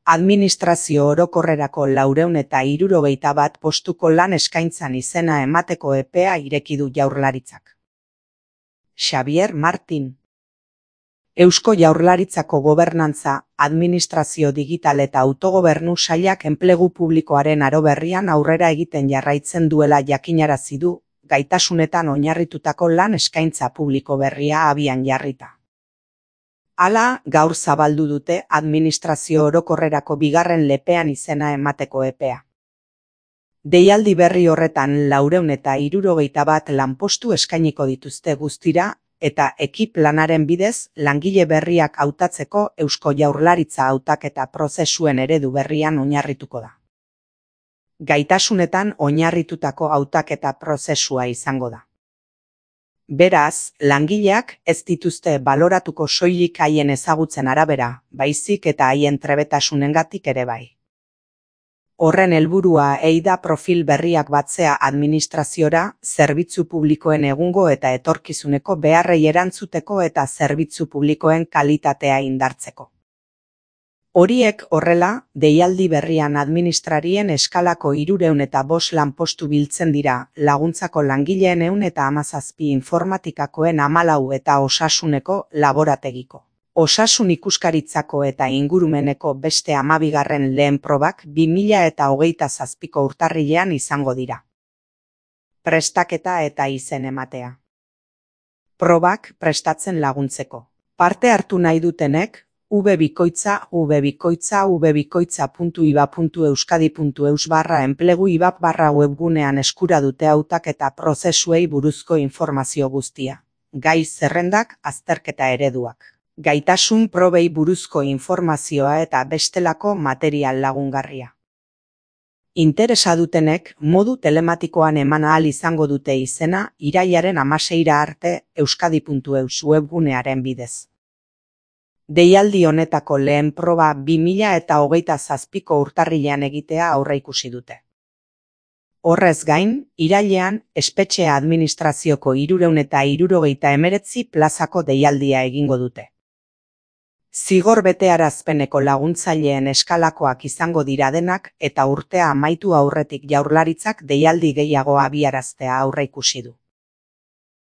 Administrazio orokorrerako 461 postuko lan eskaintzan izena emateko epea ireki du Jaurlaritzak. Xabier Martin. Eusko Jaurlaritzako Gobernantza, Administrazio Digital eta Autogobernu Sailak enplegu publikoaren aro berrian aurrera egiten jarraitzen duela jakinarazi du, gaitasunetan oinarritutako lan eskaintza publiko berria abian jarrita. Hala, gaur zabaldu dute administrazio orokorrerako bigarren lepean izena emateko epea. Deialdi berri horretan 461 lanpostu eskainiko dituzte guztira, eta ekip lanaren bidez langile berriak hautatzeko Eusko Jaurlaritza hautaketa prozesuen eredu berrian oinarrituko da. Gaitasunetan oinarritutako hautaketa prozesua izango da. Beraz, langileak ez dituzte baloratuko soilik haien ezagutzen arabera, baizik eta haien trebetasunengatik ere bai. Horren helburua da profil berriak batzea administraziora, zerbitzu publikoen egungo eta etorkizuneko beharrei erantzuteko eta zerbitzu publikoen kalitatea indartzeko. Horiek horrela, deialdi berrian administrarien eskalako 305 lanpostu biltzen dira, laguntzako langileen 117 informatikakoen 14 eta osasuneko laborategiko. Osasun ikuskaritzako eta ingurumeneko beste 12. lehen probak 2027ko urtarrilean izango dira. Prestaketa eta izen ematea. Probak prestatzen laguntzeko. Parte hartu nahi dutenek, www.iba.euskadi.eus/enplegu-ibap/webgunean eskura dute hautaketa prozesuei buruzko informazio guztia. Gai zerrendak, azterketa ereduak. Gaitasun probei buruzko informazioa eta bestelako material lagungarria. Interesa dutenek modu telematikoan eman ahal izango dute izena irailaren 16 arte euskadi.eus webgunearen bidez. Deialdi honetako lehen proba 2027ko urtarrilean egitea aurreikusi dute. Horrez gain, irailean espetxe administrazioko 369 plazako deialdia egingo dute. Zigor betearazpeneko laguntzaileen eskalakoak izango dira denak eta urtea amaitu aurretik Jaurlaritzak deialdi gehiago abiaraztea aurreikusi du.